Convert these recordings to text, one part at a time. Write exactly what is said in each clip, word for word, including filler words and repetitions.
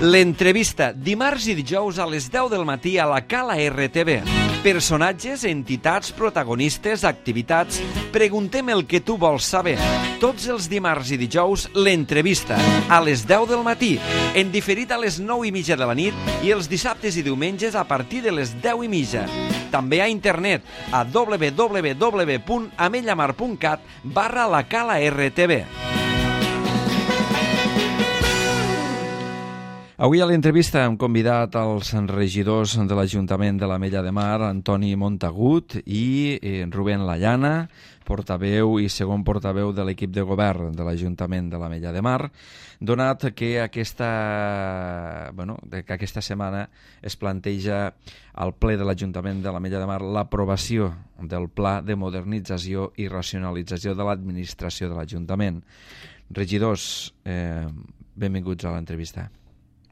L'entrevista, dimarts i dijous a les deu del matí a la Cala R T V. Personatges, entitats, protagonistes, activitats... Preguntem el que tu vols saber. Tots els dimarts i dijous, l'entrevista, a les deu del matí, en diferit a les nou i mitja de la nit i els dissabtes i diumenges a partir de les deu i mitja. També a internet, a w w w punt amellamar punt cat barra la Cala R T V. Avui a l'entrevista hem convidat els regidors de l'Ajuntament de l'Ametlla de Mar, Antoni Montagut i eh, Rubén Layana, portaveu i segon portaveu de l'equip de govern de l'Ajuntament de l'Ametlla de Mar, donat que aquesta, bueno, que aquesta setmana es planteja al ple de l'Ajuntament de l'Ametlla de Mar l'aprovació del Pla de Modernització i Racionalització de l'Administració de l'Ajuntament. Regidors, eh, benvinguts a l'entrevista.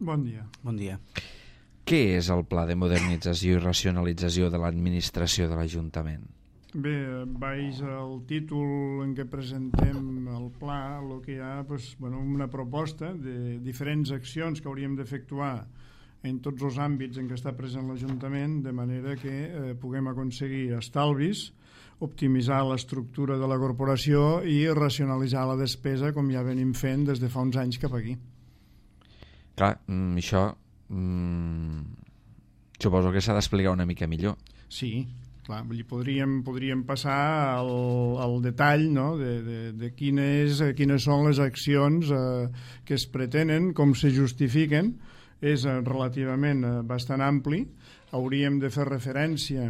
Bon dia. Bon dia. Què és el Pla de Modernització i Racionalització de l'Administració de l'Ajuntament? Bé, baix el títol en què presentem el pla, el que hi ha doncs, bueno, una proposta de diferents accions que hauríem d'efectuar en tots els àmbits en què està present l'Ajuntament, de manera que eh, puguem aconseguir estalvis, optimitzar l'estructura de la corporació i racionalitzar la despesa, com ja venim fent des de fa uns anys cap aquí. Clar, mm, això mm, suposo que s'ha d'explicar una mica millor. Sí, clar, vull dir, podríem, podríem passar al, al detall, no?, de, de, de quines, quines són les accions eh, que es pretenen, com se justifiquen. És eh, relativament eh, bastant ampli. Hauríem de fer referència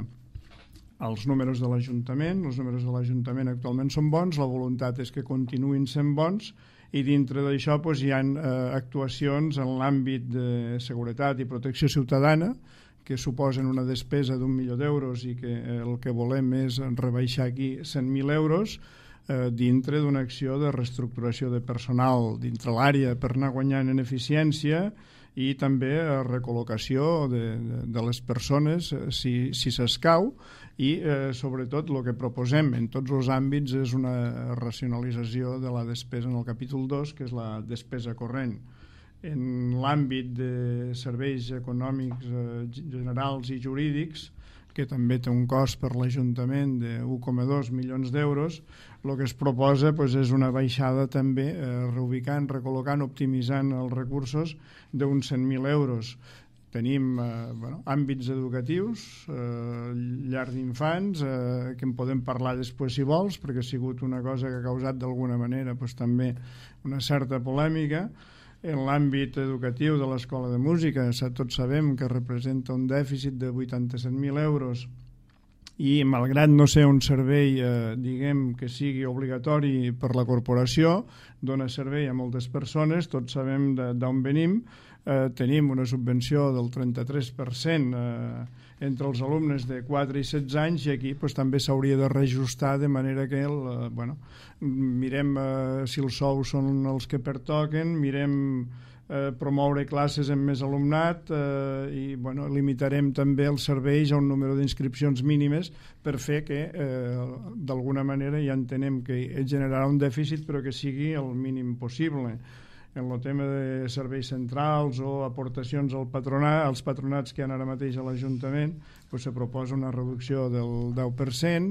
als números de l'Ajuntament. Els números de l'Ajuntament actualment són bons, la voluntat és que continuïn sent bons, i dintre d'això doncs, hi ha eh, actuacions en l'àmbit de seguretat i protecció ciutadana que suposen una despesa d'un milió d'euros i que eh, el que volem és rebaixar aquí cent mil euros eh, dintre d'una acció de reestructuració de personal dintre l'àrea per anar guanyant en eficiència i també eh, recol·locació de, de, de les persones eh, si, si s'escau i eh, sobretot el que proposem en tots els àmbits és una racionalització de la despesa en el capítol dos, que és la despesa corrent. En l'àmbit de serveis econòmics eh, generals i jurídics, que també té un cost per l'Ajuntament d'un coma dos milions d'euros, el que es proposa doncs, és una baixada també eh, reubicant, recol·locant, optimitzant els recursos d'uns cent mil euros. Tenim eh, bueno, àmbits educatius, eh, llar d'infants, eh, que en podem parlar després si vols, perquè ha sigut una cosa que ha causat d'alguna manera doncs, també una certa polèmica. En l'àmbit educatiu de l'Escola de Música, tots sabem que representa un dèficit de vuitanta-set mil euros i, malgrat no ser un servei eh, diguem que sigui obligatori per la corporació, dona servei a moltes persones, tots sabem d'on venim, eh, tenim una subvenció del trenta-tres per cent eh, entre els alumnes de quatre i setze anys i aquí pues, també s'hauria de reajustar de manera que el, eh, bueno, mirem eh, si els sous són els que pertoquen, mirem eh, promoure classes amb més alumnat eh, i bueno, limitarem també els serveis a un número d'inscripcions mínimes per fer que eh, d'alguna manera ja entenem que generarà un dèficit però que sigui el mínim possible. En el tema de serveis centrals o aportacions al patronat, als patronats que hi ha ara mateix a l'Ajuntament, doncs se proposa una reducció del deu per cent,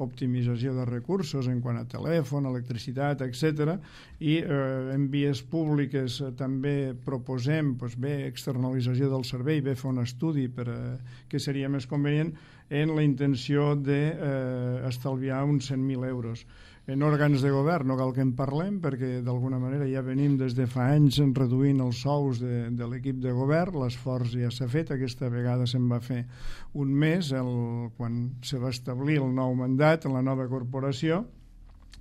optimització de recursos en quant a telèfon, electricitat, etcètera. I eh, en vies públiques eh, també proposem doncs bé, externalització del servei, bé fer un estudi per eh, què seria més convenient en la intenció d'estalviar eh, uns cent mil euros. En òrgans de govern no cal que en parlem perquè d'alguna manera ja venim des de fa anys reduint els sous de, de l'equip de govern, l'esforç ja s'ha fet, aquesta vegada se'n va fer un mes el, quan se va establir el nou mandat en la nova corporació,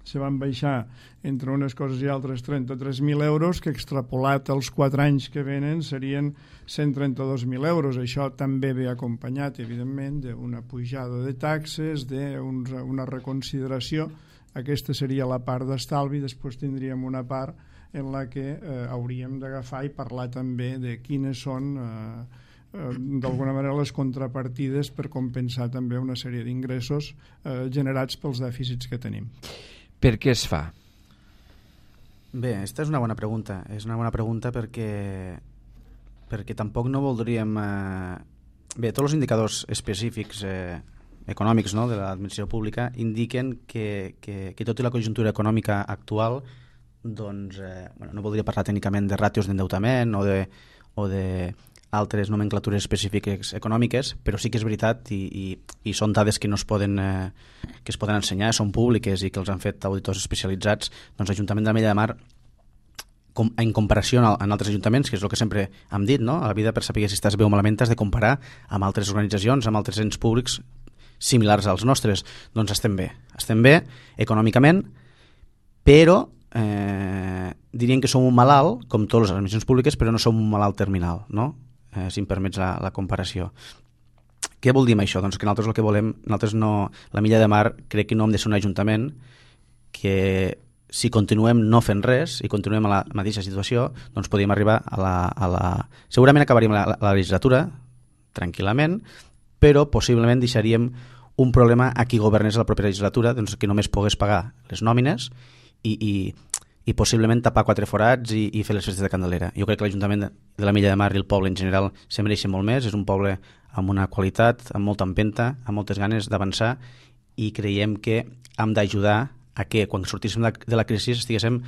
se van baixar entre unes coses i altres trenta-tres mil euros que extrapolat als quatre anys que venen serien cent trenta-dos mil euros. Això també ve acompanyat evidentment d'una pujada de taxes, d'una reconsideració. Aquesta seria la part d'estalvi, després tindríem una part en la que eh, hauríem d'agafar i parlar també de quines són eh, eh, d'alguna manera les contrapartides per compensar també una sèrie d'ingressos eh, generats pels dèficits que tenim. Per què es fa? Bé, aquesta és una bona pregunta. És una bona pregunta perquè perquè tampoc no voldríem... Eh... Bé, tots els indicadors específics eh, econòmics, no?, de l'administració pública indiquen que, que, que tot i la conjuntura econòmica actual, doncs, eh, bueno, no voldria parlar tècnicament de ràtios d'endeutament o de, o de altres nomenclatures específiques econòmiques, però sí que és veritat i, i, i són dades que no es poden, eh, que es poden ensenyar, són públiques i que els han fet auditors especialitzats. Doncs l'Ajuntament de l'Ametlla de Mar, com, en comparació amb altres ajuntaments, que és el que sempre hem dit, no? A la vida, per saber si estàs bé o malament, has de comparar amb altres organitzacions, amb altres ens públics similars als nostres. Doncs estem bé. Estem bé econòmicament, però eh, dirien que som un malalt, com totes les administracions públiques, però no som un malalt terminal, no? Eh, si em permets la, la comparació. Què vol dir amb això? Doncs que nosaltres el que volem, nosaltres no, l'Ametlla de Mar crec que no hem de ser un ajuntament que si continuem no fent res i continuem a la mateixa situació, doncs podríem arribar a la... A la... Segurament acabaríem la, la legislatura tranquil·lament, però possiblement deixaríem un problema a qui governés la propera legislatura, doncs que només pogués pagar les nòmines i, i, i possiblement tapar quatre forats i, i fer les festes de Candelera. Jo crec que l'Ajuntament de l'Ametlla de Mar i el poble en general se mereixen molt més. És un poble amb una qualitat, amb molta empenta, amb moltes ganes d'avançar, i creiem que hem d'ajudar a que quan sortíssim de la crisi estiguéssim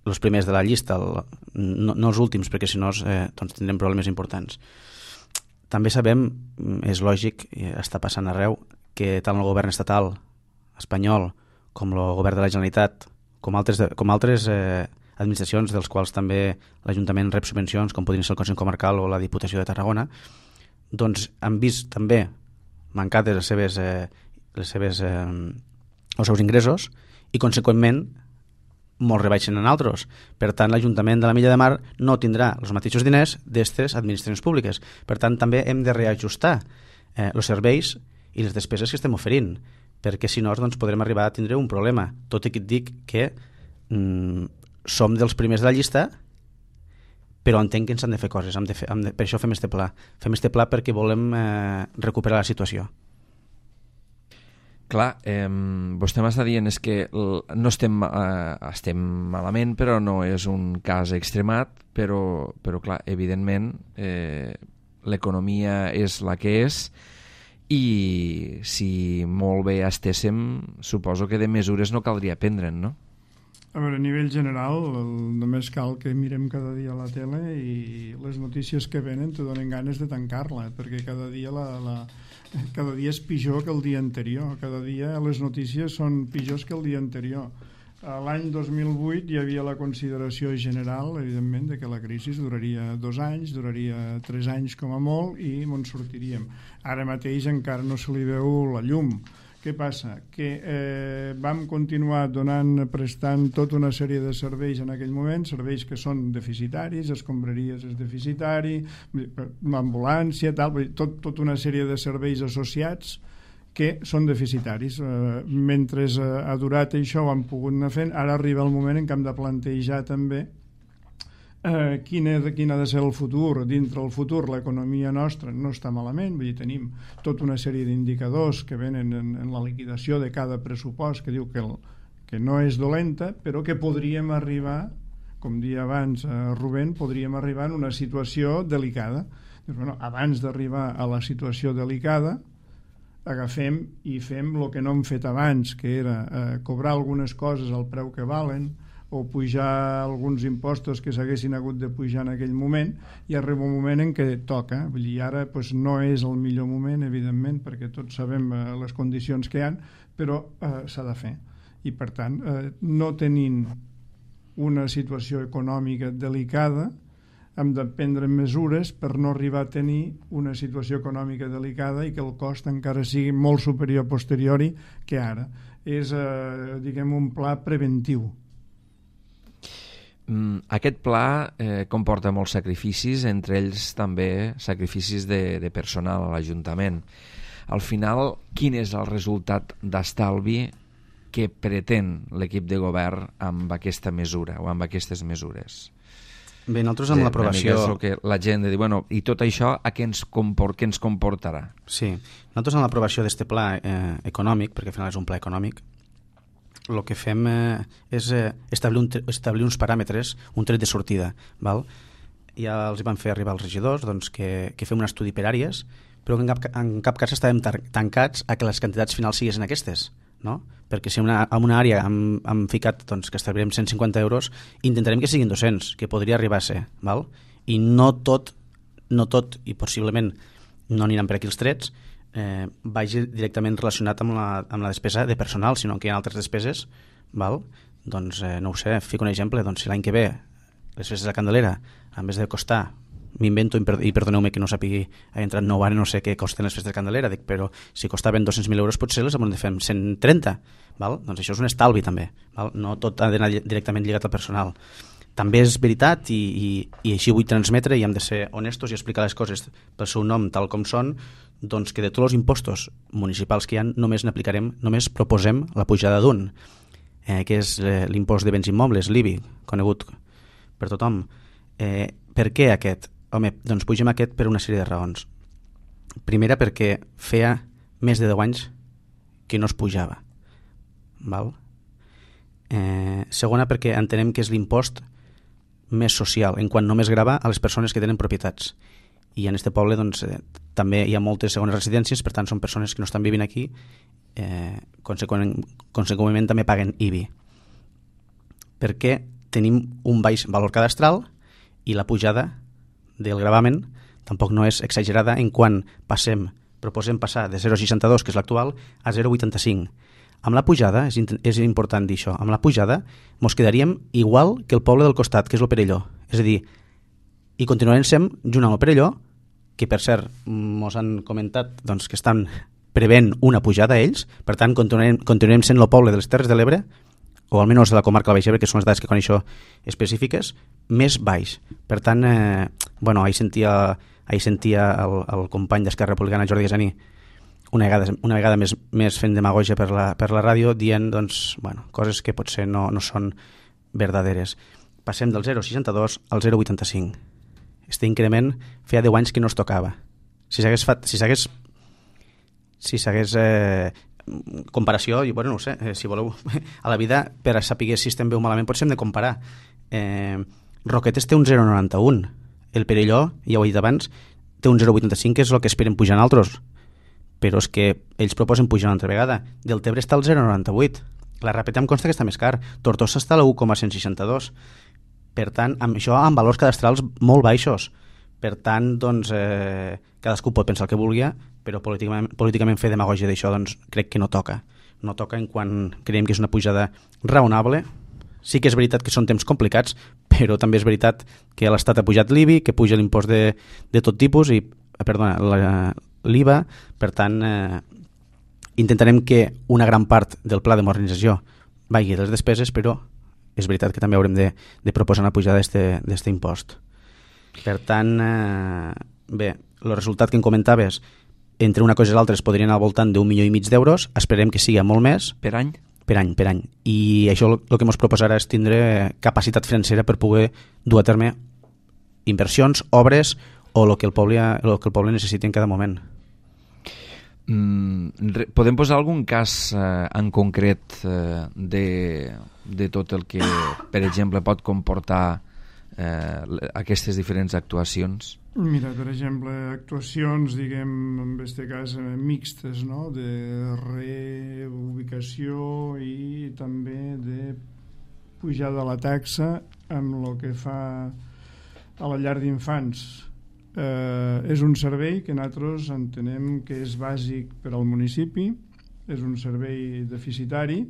els primers de la llista, el, no, no els últims, perquè si no eh, doncs tindrem problemes importants. També sabem, és lògic, està passant arreu, que tant el govern estatal espanyol com el govern de la Generalitat, com altres, com altres eh, administracions dels quals també l'Ajuntament rep subvencions, com podrien ser el Consell Comarcal o la Diputació de Tarragona, doncs han vist també mancades les seves, eh, les seves, eh, els seus ingressos i, conseqüentment, molt rebaixen en altres. Per tant, l'Ajuntament de l'Ametlla de Mar no tindrà els mateixos diners d'aquestes administracions públiques. Per tant, també hem de reajustar eh, els serveis i les despeses que estem oferint, perquè si no doncs, podrem arribar a tindre un problema. Tot i que et dic que mm, som dels primers de la llista, però entenc que ens han de fer coses. Hem de fer, hem de, per això fem este pla. Fem este pla perquè volem eh, recuperar la situació. Clar, eh, vostè m'està dient és que no estem, eh, estem malament, però no és un cas extremat, però, però clar, evidentment eh, l'economia és la que és i si molt bé estéssim, suposo que de mesures no caldria prendre'n, no? A veure, a nivell general, el, només cal que mirem cada dia la tele i les notícies que venen te donen ganes de tancar-la, perquè cada dia la... la cada dia és pitjor que el dia anterior, cada dia les notícies són pitjors que el dia anterior. L'any dos mil vuit hi havia la consideració general, evidentment, de que la crisi duraria dos anys, duraria tres anys com a molt i en sortiríem. Ara mateix encara no se li veu la llum. Què passa? Que eh, vam continuar donant, prestant tota una sèrie de serveis en aquell moment, serveis que són deficitaris, escombraries és deficitari, l'ambulància, tal, tot, tota una sèrie de serveis associats que són deficitaris. Eh, mentre eh, ha durat això ho han pogut anar fent, ara arriba el moment en què hem de plantejar també Eh, quin, és, quin ha de ser el futur. Dintre el futur l'economia nostra no està malament, vull dir, tenim tota una sèrie d'indicadors que venen en, en la liquidació de cada pressupost que diu que, el, que no és dolenta, però que podríem arribar, com dia abans eh, Rubén, podríem arribar en una situació delicada. Doncs, bueno, abans d'arribar a la situació delicada agafem i fem el que no hem fet abans, que era eh, cobrar algunes coses al preu que valen, o pujar alguns impostos que s'haguessin hagut de pujar en aquell moment, i arriba un moment en què toca. Vull dir, ara pues, no és el millor moment, evidentment, perquè tots sabem eh, les condicions que hi ha, però eh, s'ha de fer. I per tant, eh, no tenint una situació econòmica delicada, hem de prendre mesures per no arribar a tenir una situació econòmica delicada i que el cost encara sigui molt superior a posteriori que ara. És, eh, diguem, un pla preventiu. Aquest pla eh, comporta molts sacrificis, entre ells també sacrificis de, de personal a l'Ajuntament. Al final, quin és el resultat d'estalvi que pretén l'equip de govern amb aquesta mesura o amb aquestes mesures? Bé, nosaltres amb l'aprovació... És el que la gent de dir, bueno, i tot això a què ens, comport, què ens comportarà? Sí, nosaltres amb l'aprovació d'aquest pla eh, econòmic, perquè al final és un pla econòmic, el que fem eh, és eh, establir, un, establir uns paràmetres, un tret de sortida, val? ja els van fer arribar als regidors doncs, que, que fem un estudi per àrees, però en cap, en cap cas estàvem tancats a que les quantitats finals siguessin aquestes, no? Perquè si una, en una àrea hem, hem ficat doncs, que establirem cent cinquanta euros, intentarem que siguin dos-cents, que podria arribar a ser, val? I no tot, no tot, i possiblement no aniran per aquí els trets, eh, vagi directament relacionat amb la, amb la despesa de personal, sinó que hi ha altres despeses, val? Doncs eh, no ho sé, fico un exemple, doncs si l'any que ve les festes de Candelera, en vez de costar, m'invento i perdoneu-me que no sàpigui, ha entrat nou ara, no sé què costen les festes de Candelera, dic, però si costaven dos-cents mil euros potser les hem de fer cent trenta, val? Doncs això és un estalvi també, val? No tot ha d'anar directament lligat al personal. També és veritat i, i, i així vull transmetre i hem de ser honestos i explicar les coses pel seu nom tal com són, doncs que de tots els impostos municipals que hi ha només n'aplicarem, només proposem la pujada d'un, eh, que és eh, l'impost de béns immobles, l'I B I, conegut per tothom. Eh, per què aquest? Home, doncs pugem aquest per una sèrie de raons. Primera, perquè feia més de deu anys que no es pujava. Val? Eh, segona, perquè entenem que és l'impost més social, en quant només grava a les persones que tenen propietats. I en este poble doncs, eh, també hi ha moltes segones residències, per tant són persones que no estan vivint aquí, eh, conseqüentment, conseqüentment també paguen I B I. Perquè tenim un baix valor cadastral i la pujada del gravamen tampoc no és exagerada en quan passem, proposem passar de zero coma seixanta-dos, que és l'actual, a zero coma vuitanta-cinc. Amb la pujada, és, és important dir això, amb la pujada mos quedaríem igual que el poble del costat, que és el Perelló. És a dir, i continuarem sent junt amb el Perelló, que per cert mos han comentat doncs, que estan prevent una pujada a ells, per tant continuarem, continuarem sent el poble de les Terres de l'Ebre, o almenys de la comarca del Baix Ebre, que són les dades que coneixo específiques, més baix. Per tant, eh, bueno, ahir sentia, ahir sentia el, el company d'Esquerra Republicana, Jordi Gazaní, una vegada, una vegada més, més fent demagogia per la, per la ràdio, dient doncs, bueno, coses que potser no, no són verdaderes. Passem del zero coma seixanta-dos al zero coma vuitanta-cinc. Este increment feia deu anys que no es tocava. Si s'hagués fet, si s'hagués si s'hagués eh, comparació, i bueno, no ho sé, eh, si voleu a la vida, per a saber si estem bé o malament potser hem de comparar. eh, Roquetes té un zero coma noranta-un, el Perelló, ja ho he dit abans, té un zero coma vuitanta-cinc, que és el que esperen pujar en altres, però és que ells proposen pujar una altra vegada. Deltebre està al zero coma noranta-vuit, la Ràpita em consta que està més car, Tortosa està a l'u coma cent seixanta-dos, per tant, amb això amb valors cadastrals molt baixos. Per tant, doncs, eh, cadascú pot pensar el que vulgui, però políticament, políticament fer demagògia d'això doncs, crec que no toca. No toca en quan creiem que és una pujada raonable. Sí que és veritat que són temps complicats, però també és veritat que l'Estat ha pujat l'I B I, que puja l'impost de, de tot tipus, i, perdona, l'I V A. Per tant, eh, intentarem que una gran part del pla de modernització vagi a les despeses, però és veritat que també haurem de, de proposar una pujada d'aquest impost. Per tant, eh, bé, el resultat que em comentaves, entre una cosa i l'altra es podrien anar al voltant d'un milió i mig d'euros, esperem que sigui molt més. Per any? Per any, per any. I això el que ens proposarà és tindre capacitat financera per poder dur a terme inversions, obres o el que el poble, el que el poble necessiti en cada moment. Mm, podem posar algun cas eh, en concret eh, de, de tot el que, per exemple, pot comportar eh, aquestes diferents actuacions? Mira, per exemple, actuacions, diguem, en aquest cas, eh, mixtes, no?, de reubicació i també de pujada de la taxa amb el que fa a la llar d'infants. Eh, és un servei que nosaltres entenem que és bàsic per al municipi, és un servei deficitari,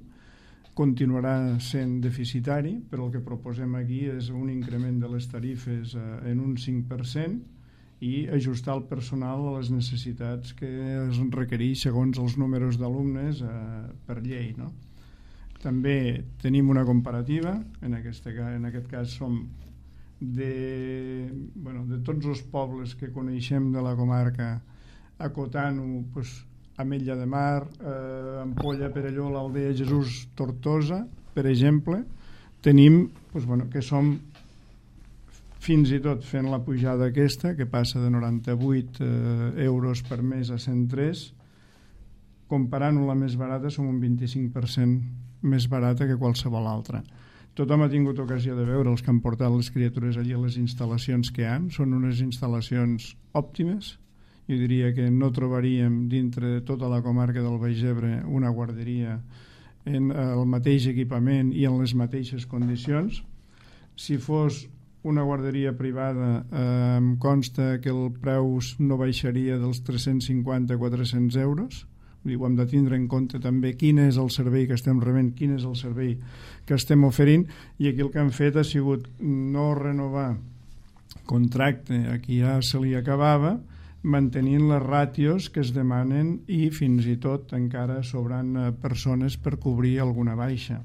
continuarà sent deficitari, però el que proposem aquí és un increment de les tarifes eh, en un cinc per cent i ajustar el personal a les necessitats que es requereix segons els números d'alumnes eh, per llei, no? També tenim una comparativa, en, aquesta, en aquest cas som de, bueno, de tots els pobles que coneixem de la comarca, acotant-ho pues, Ametlla de Mar, eh, Ampolla, Perelló, l'Aldea Jesús, Tortosa, per exemple, tenim pues, bueno, que som fins i tot fent la pujada aquesta, que passa de noranta-vuit eh, euros per mes a cent tres, comparant-ho la més barata som un vint-i-cinc per cent més barata que qualsevol altra. Tothom ha tingut ocasió de veure els que han portat les criatures allí a les instal·lacions que hi ha. Són unes instal·lacions òptimes. Jo diria que no trobaríem dintre de tota la comarca del Baix Ebre una guarderia en el mateix equipament i en les mateixes condicions. Si fos una guarderia privada, eh, em consta que el preu no baixaria dels tres-cents cinquanta a quatre-cents euros. Vull dir, ho hem de tindre en compte també quin és el servei que estem rebent, quin és el servei que estem oferint, i aquí el que han fet ha sigut no renovar contracte a qui ja se li acabava, mantenint les ràtios que es demanen i fins i tot encara sobrant persones per cobrir alguna baixa.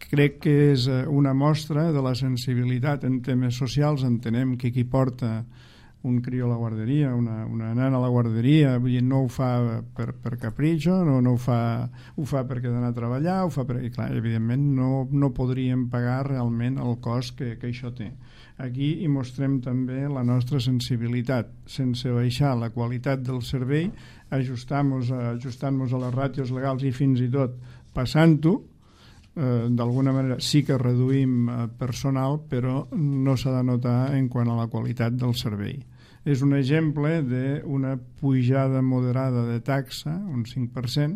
Crec que és una mostra de la sensibilitat en temes socials. Entenem que qui porta un crió a la guarderia, una, una nana a la guarderia, vull dir, no ho fa per, per capritxo, no, no ho fa, ho fa perquè ha d'anar a treballar, ho fa perquè, clar, evidentment no, no podríem pagar realment el cost que, que això té. Aquí hi mostrem també la nostra sensibilitat, sense baixar la qualitat del servei, ajustant-nos ajustant a les ràtios legals i fins i tot passant-ho. Eh, d'alguna manera sí que reduïm eh, personal, però no s'ha de notar en quant a la qualitat del servei. És un exemple d'una pujada moderada de taxa, un cinc per cent,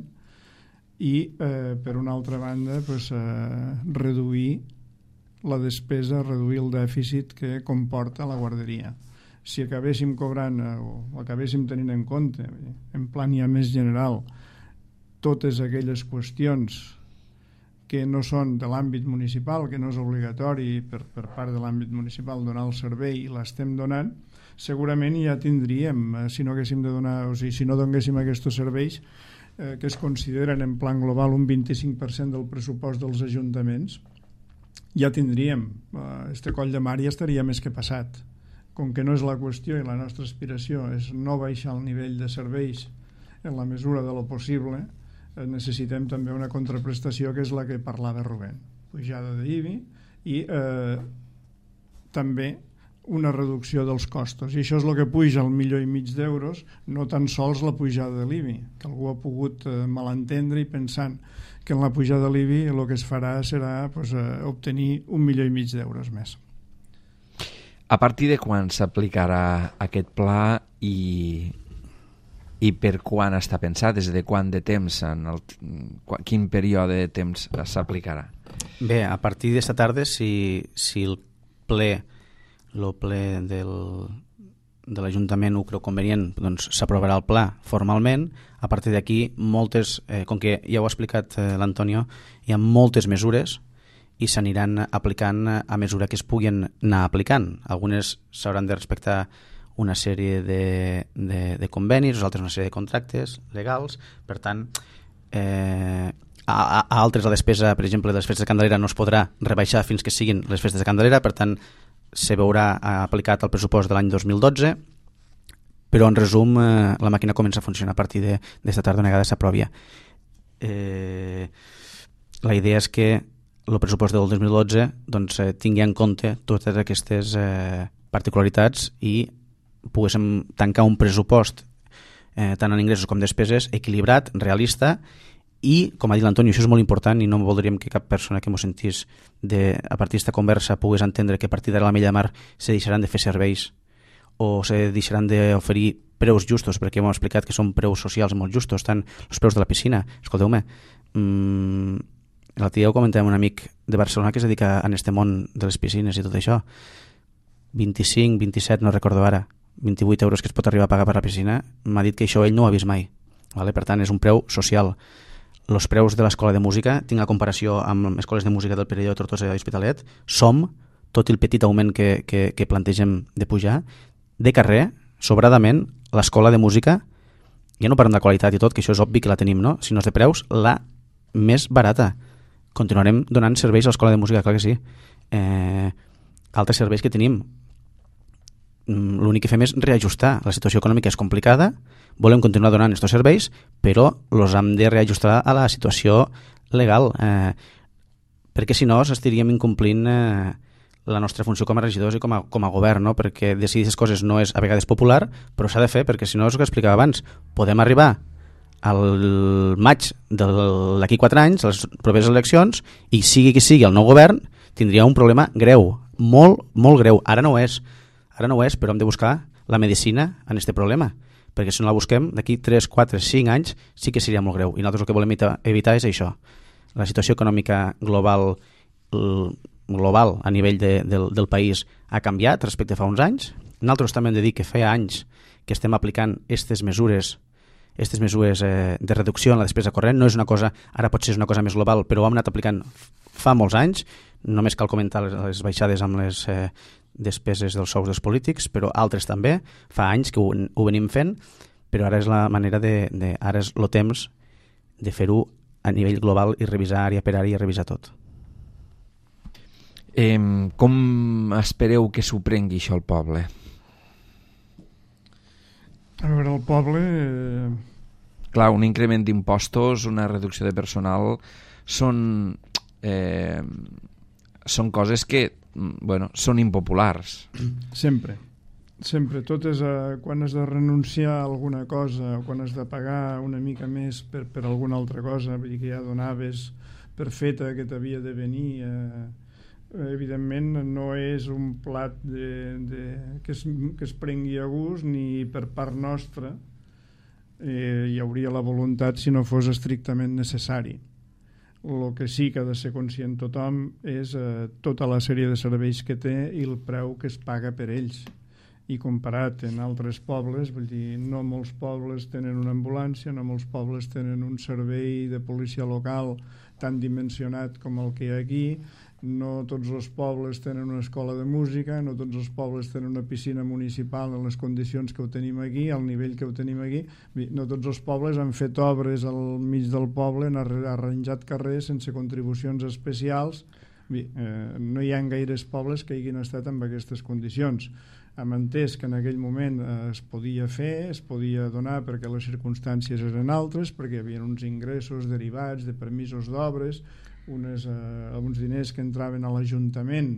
i eh, per una altra banda pues, eh, reduir la despesa, reduir el dèficit que comporta la guarderia. Si acabéssim cobrant eh, o acabéssim tenint en compte, en plan ja més general, totes aquelles qüestions que no són de l'àmbit municipal, que no és obligatori per, per part de l'àmbit municipal donar el servei i l'estem donant, segurament ja tindríem, eh, si no haguéssim de donar, o sigui, si no donéssim aquests serveis eh, que es consideren en plan global un vint-i-cinc per cent del pressupost dels ajuntaments, ja tindríem, eh, este coll de mar ja estaria més que passat. Com que no és la qüestió i la nostra aspiració és no baixar el nivell de serveis en la mesura de lo possible, necessitem també una contraprestació que és la que parlava Rubén, pujada d'I B I i eh, també una reducció dels costos, i això és el que puja el milió i mig d'euros, no tan sols la pujada de l'I B I, que algú ha pogut eh, malentendre i pensant que en la pujada de l'I B I el que es farà serà pues, eh, obtenir un milió i mig d'euros més. A partir de quan s'aplicarà aquest pla i i per quan està pensat, des de quant de temps, en el, quin període de temps s'aplicarà? Bé, a partir d'esta tarda, si, si el ple, el ple del, de l'Ajuntament ho creu convenient, doncs s'aprovarà el pla formalment. A partir d'aquí, moltes, eh, com que ja ho ha explicat eh, l'Antonio, hi ha moltes mesures i s'aniran aplicant a mesura que es puguin anar aplicant. Algunes s'hauran de respectar una sèrie de, de, de convenis, altres una sèrie de contractes legals. Per tant, eh, a, a altres la despesa, per exemple, de les festes de Candelera no es podrà rebaixar fins que siguin les festes de Candelera, per tant, se veurà aplicat el pressupost de l'any dos mil dotze, però en resum eh, la màquina comença a funcionar a partir d'esta tarda, una vegada s'aprovi. Eh, la idea és que el pressupost del dos mil dotze doncs, eh, tingui en compte totes aquestes eh, particularitats i poguéssim tancar un pressupost eh, tant en ingressos com despeses equilibrat, realista i, com ha dit l'Antonio, això és molt important i no voldríem que cap persona que m'ho sentís de, a partir d'esta conversa pogués entendre que a partir d'ara la Mella de Mar se deixaran de fer serveis o se deixaran d'oferir preus justos, perquè hem explicat que són preus socials molt justos, tant els preus de la piscina. Escolteu-me, mmm, l'altre dia ho comentàvem amb un amic de Barcelona que es dedica a este món de les piscines i tot això, vint-i-cinc, vint-i-set, no recordo ara, vint-i-vuit euros que es pot arribar a pagar per la piscina, m'ha dit que això ell no ho ha vist mai. Vale? Per tant, és un preu social. Els preus de l'escola de música, tinc la comparació amb escoles de música del Perelló, Tortosa i Hospitalet, som, tot el petit augment que, que, que plantegem de pujar, de carrer, sobradament, l'escola de música, ja no parlem de qualitat i tot, que això és obvi que la tenim, no? Sinó de preus, la més barata. Continuarem donant serveis a l'escola de música, clar que sí. Eh, altres serveis que tenim, l'únic que fem és reajustar. La situació econòmica és complicada, volem continuar donant aquests serveis, però els hem de reajustar a la situació legal, eh, perquè si no s'estaríem incomplint eh, la nostra funció com a regidors i com a, com a govern, no? Perquè decidir aquestes coses no és a vegades popular, però s'ha de fer, perquè si no és el que explicava abans, podem arribar al maig d'aquí quatre anys, les properes eleccions, i sigui qui sigui el nou govern, tindria un problema greu, molt, molt greu. Ara no ho és, ara no ho és, però hem de buscar la medicina en aquest problema, perquè si no la busquem, d'aquí tres, quatre, cinc anys sí que seria molt greu. I nosaltres el que volem evitar és això. La situació econòmica global global a nivell de, del, del país ha canviat respecte a fa uns anys. Nosaltres també hem de dir que feia anys que estem aplicant aquestes mesures aquestes mesures eh, de reducció en la despesa corrent. No és una cosa, ara potser és una cosa més global, però ho hem anat aplicant fa molts anys. Només cal comentar les, les baixades amb les eh, despeses dels sous dels polítics, però altres també. Fa anys que ho, ho venim fent, però ara és la manera de, de ara és el temps de fer-ho a nivell global i revisar àrea per àrea i revisar tot. Eh, com espereu que s'ho prengui això al poble? A veure, el poble... Eh... Clar, un increment d'impostos, una reducció de personal, són, eh, són coses que, bueno, són impopulars. Sempre. Sempre. Tot és a, quan has de renunciar a alguna cosa o quan has de pagar una mica més per, per alguna altra cosa, vull dir que ja donaves per feta que t'havia de venir... Eh... evidentment no és un plat de, de, que, es, que es prengui a gust ni per part nostra. Eh, hi hauria la voluntat si no fos estrictament necessari. El que sí que ha de ser conscient tothom és eh, tota la sèrie de serveis que té i el preu que es paga per ells. I comparat en altres pobles, vull dir, no molts pobles tenen una ambulància, no molts pobles tenen un servei de policia local tan dimensionat com el que hi ha aquí, no tots els pobles tenen una escola de música, no tots els pobles tenen una piscina municipal en les condicions que ho tenim aquí, al nivell que ho tenim aquí, no tots els pobles han fet obres al mig del poble, han arranjat carrers sense contribucions especials. Bé, eh, no hi ha gaires pobles que hagin estat en aquestes condicions. Hem entès que en aquell moment eh, es podia fer, es podia donar perquè les circumstàncies eren altres, perquè hi havia uns ingressos derivats de permisos d'obres, unes, eh, uns diners que entraven a l'Ajuntament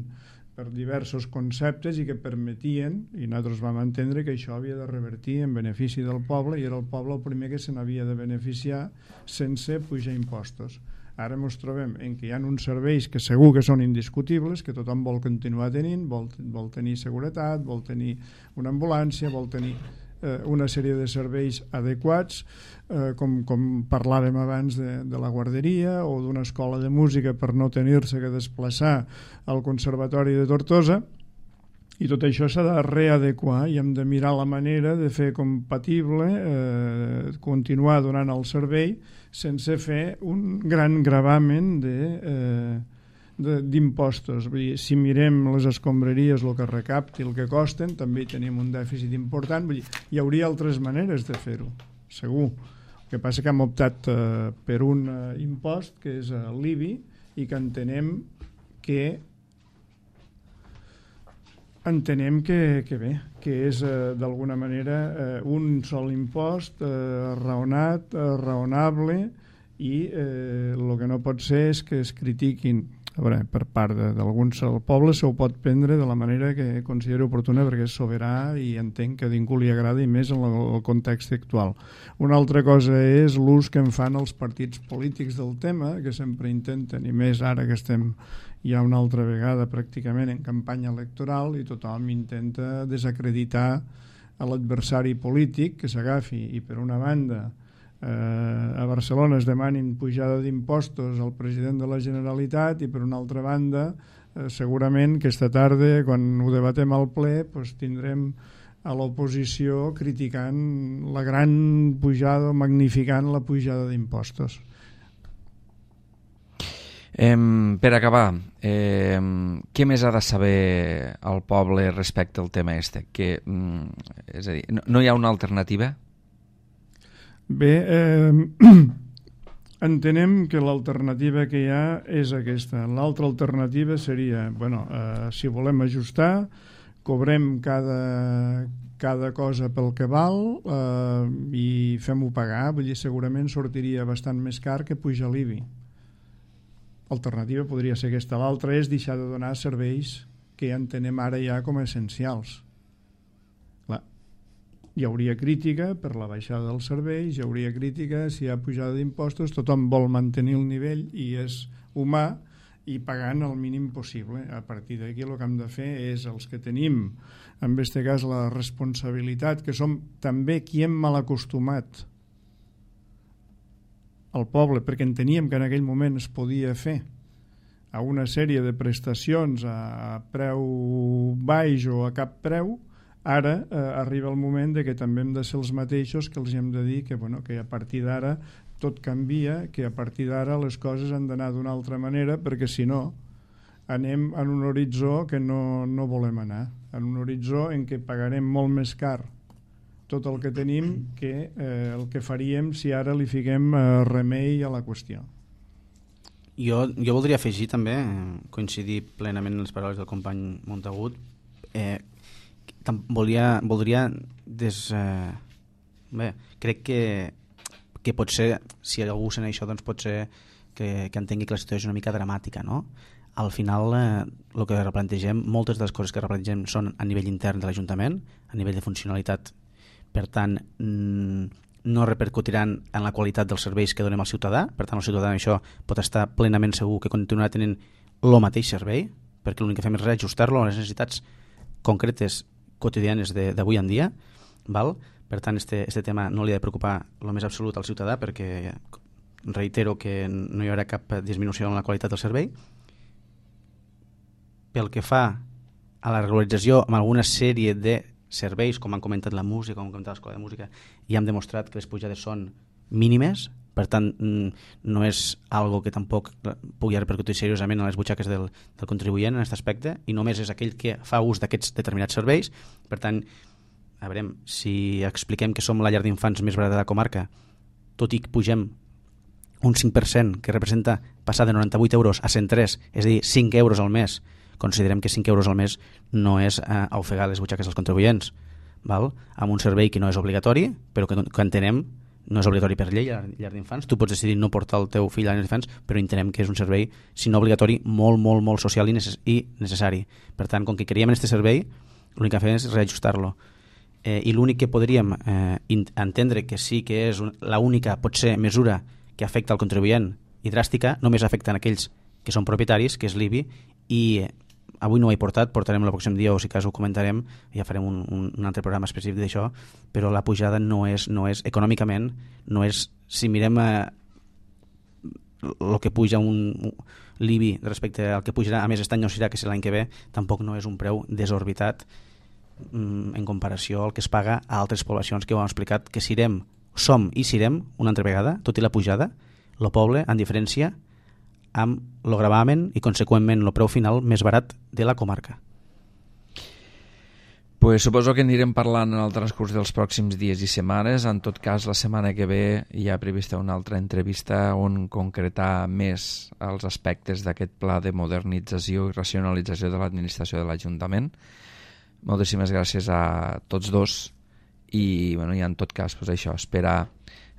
per diversos conceptes i que permetien, i nosaltres vam entendre que això havia de revertir en benefici del poble i era el poble el primer que se n'havia de beneficiar sense pujar impostos. Ara ens trobem en què hi ha uns serveis que segur que són indiscutibles, que tothom vol continuar tenint, vol, vol tenir seguretat, vol tenir una ambulància, vol tenir eh, una sèrie de serveis adequats, eh, com, com parlàvem abans de, de la guarderia o d'una escola de música per no tenir-se que desplaçar al Conservatori de Tortosa, i tot això s'ha de readequar i hem de mirar la manera de fer compatible eh, continuar donant el servei sense fer un gran gravamen de, eh, d'impostos. Vull dir, si mirem les escombraries, el que recapti, el que costen, també hi tenim un dèficit important. Vull dir, hi hauria altres maneres de fer-ho, segur. El que passa que hem optat eh, per un eh, impost que és eh, l'I B I i que entenem que entenem que, que bé, que és eh, d'alguna manera eh, un sol impost eh, raonat, eh, raonable i eh, el que no pot ser és que es critiquin. A veure, per part d'alguns pobles se ho pot prendre de la manera que considero oportuna perquè és soberà i entenc que a ningú li agrada i més en el context actual. Una altra cosa és l'ús que en fan els partits polítics del tema, que sempre intenten, i més ara que estem ja una altra vegada pràcticament en campanya electoral i tothom intenta desacreditar a l'adversari polític que s'agafi i per una banda eh, a Barcelona es demanin pujada d'impostos al president de la Generalitat i per una altra banda eh, segurament que esta tarda quan ho debatem al ple pues, tindrem a l'oposició criticant la gran pujada o magnificant la pujada d'impostos. Eh, per acabar, eh, què més ha de saber el poble respecte al tema este? Que, mm, és a dir, no, no hi ha una alternativa? Bé, eh, entenem que l'alternativa que hi ha és aquesta. L'altra alternativa seria, bueno, eh, si volem ajustar, cobrem cada, cada cosa pel que val eh, i fem-ho pagar. Vull dir, segurament sortiria bastant més car que pujar l'I B I. L'alternativa podria ser aquesta. L'altra és deixar de donar serveis que ja entenem ara ja com a essencials. Clar, hi hauria crítica per la baixada dels serveis, hi hauria crítica si hi ha pujada d'impostos, tothom vol mantenir el nivell i és humà i pagant el mínim possible. A partir d'aquí el que hem de fer és els que tenim, en aquest cas, la responsabilitat, que som també qui hem mal acostumat al poble, perquè enteníem que en aquell moment es podia fer a una sèrie de prestacions a preu baix o a cap preu. Ara eh, arriba el moment de que també hem de ser els mateixos que els hem de dir que, bueno, que a partir d'ara tot canvia, que a partir d'ara les coses han d'anar d'una altra manera, perquè si no anem en un horitzó que no, no volem anar, en un horitzó en què pagarem molt més car tot el que tenim que eh, el que faríem si ara li fiquem eh, remei a la qüestió. Jo, jo voldria afegir també, coincidir plenament en les paraules del company Montagut. Eh, volia, voldria des, eh, bé, crec que, que potser, si algú sent això, doncs pot ser que, que entengui que la situació és una mica dramàtica, no? Al final, eh, el que replantegem, moltes de les coses que replantegem són a nivell intern de l'Ajuntament, a nivell de funcionalitat. Per tant, no repercutiran en la qualitat dels serveis que donem al ciutadà. Per tant, el ciutadà en això pot estar plenament segur que continuarà tenint el mateix servei, perquè l'únic que fem és reajustar-lo a les necessitats concretes quotidianes d'avui en dia. Val? Per tant, este, este tema no li ha de preocupar el més absolut al ciutadà, perquè reitero que no hi haurà cap disminució en la qualitat del servei. Pel que fa a la regularització amb alguna sèrie de serveis, com han comentat la música, com han comentat l'escola de música, i hem demostrat que les pujades són mínimes, per tant no és algo que tampoc pugui repercutir seriosament a les butxaques del, del contribuent en aquest aspecte, i només és aquell que fa ús d'aquests determinats serveis. Per tant, a veure, si expliquem que som la llar d'infants més barata de la comarca, tot i que pugem un cinc per cent, que representa passar de noranta-vuit euros a cent tres, és a dir, cinc euros al mes, considerem que cinc euros al mes no és eh, ofegar les butxaques dels contribuents, val? Amb un servei que no és obligatori, però que, que entenem no és obligatori per llei a la llar d'infants. Tu pots decidir no portar el teu fill a la llar d'infants, però entenem que és un servei, si no obligatori, molt, molt, molt social i, necess i necessari. Per tant, com que creiem en aquest servei, l'únic que fem és reajustar-lo. Eh, I l'únic que podríem eh, entendre que sí que és l'única, potser, mesura que afecta al contribuent i dràstica, només afecta en aquells que són propietaris, que és l'I B I, i eh, avui no ho he portat, portarem el pròxim dia o si cas ho comentarem, ja farem un, un, un altre programa específic d'això, però la pujada no és, no és econòmicament, no és, si mirem el eh, que puja un l'I B I respecte al que pujarà, a més aquest any no serà que l'any que ve, tampoc no és un preu desorbitat mm, en comparació al que es paga a altres poblacions que ho hem explicat, que serem, som i serem una altra vegada, tot i la pujada, el poble, en diferència, amb el gravamen i, conseqüentment, el preu final més barat de la comarca. Pues suposo que anirem parlant en el transcurs dels pròxims dies i setmanes. En tot cas, la setmana que ve hi ha prevista una altra entrevista on concretar més els aspectes d'aquest pla de modernització i racionalització de l'administració de l'Ajuntament. Moltíssimes gràcies a tots dos i, bueno, i en tot cas, pues això, esperar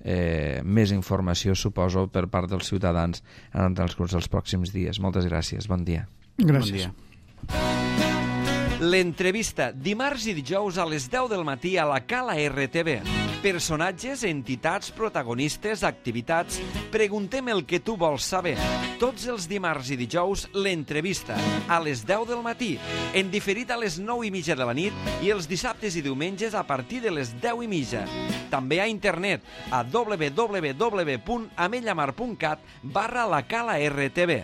Eh, més informació, suposo, per part dels ciutadans en el transcurs dels pròxims dies. Moltes gràcies, bon dia. Gràcies. Bon dia. L'entrevista, dimarts i dijous a les deu del matí a la Cala R T V. Personatges, entitats, protagonistes, activitats... Preguntem el que tu vols saber. Tots els dimarts i dijous, l'entrevista, a les deu del matí, en diferit a les nou i mitja de la nit i els dissabtes i diumenges a partir de les deu i mitja. També a internet, a w w w punt amellamar punt cat barra la Cala R T V.